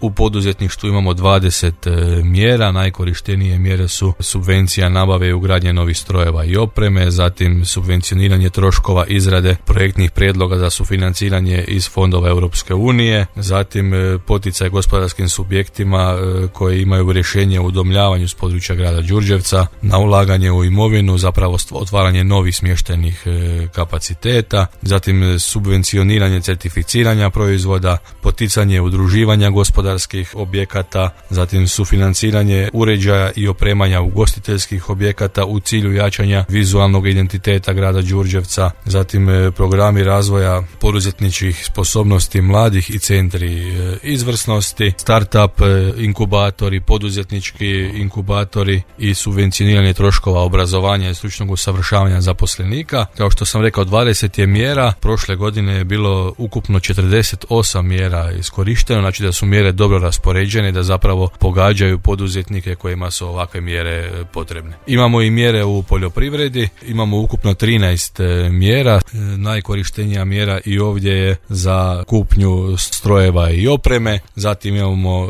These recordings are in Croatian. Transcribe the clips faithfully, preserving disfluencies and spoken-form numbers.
U poduzetništvu imamo dvadeset mjera, najkorištenije mjere su subvencija nabave i ugradnje novih strojeva i opreme, zatim subvencioniranje troškova izrade projektnih prijedloga za sufinanciranje iz fondova Europske unije, zatim poticaj gospodarskim subjektima koji imaju rješenje o udomljavanju s područja grada Đurđevca na ulaganje u imovinu, zapravo otvaranje novih smještajnih kapaciteta, zatim subvencioniranje certificiranja proizvoda, poticanje udruživanja gospodarskih objekata, zatim sufinanciranje uređaja i opremanja ugostiteljskih objekata u cilju jačanja vizualnog identiteta grada Đurđevca, zatim programi razvoja poduzetničkih sposobnosti mladih i centri izvrsnosti, startup inkubatori, poduzetnički inkubatori i subvencioniranje troškova obrazovanja i stručnog usavršavanja zaposlenika. Kao što sam rekao, dvadeset je mjera, prošle godine je bilo ukupno četrdeset osam mjera iskorišteno, znači da su mjere dobro raspoređene, da zapravo pogađaju poduzetnike kojima su ovakve mjere potrebne. Imamo i mjere u poljoprivredi, imamo ukupno trinaest mjera. Najkorištenija mjera i ovdje je za kupnju strojeva i opreme, zatim imamo e,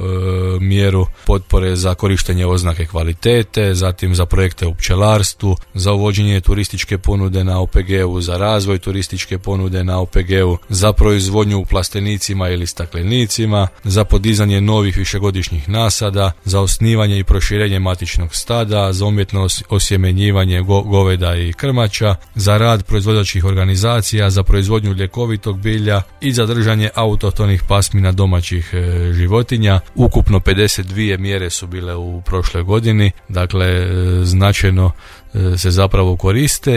mjeru potpore za korištenje oznake kvalitete, zatim za projekte u pčelarstvu, za uvođenje turističke ponude na O P G-u, za razvoj turističke ponude na O P G-u, za proizvodnju u plastenicima ili staklenicima, za podizanje novih višegodišnjih nasada, za osnivanje i proširenje matičnog stada, za umjetno osjemenjivanje go- goveda i krmača, za rad proizvođačkih organizacija, za proizvodnju ljekovitog bilja i za držanje autohtonih pasmina domaćih e, životinja. Ukupno pedeset dvije mjere su bile u prošloj godini, dakle e, značajno se zapravo koriste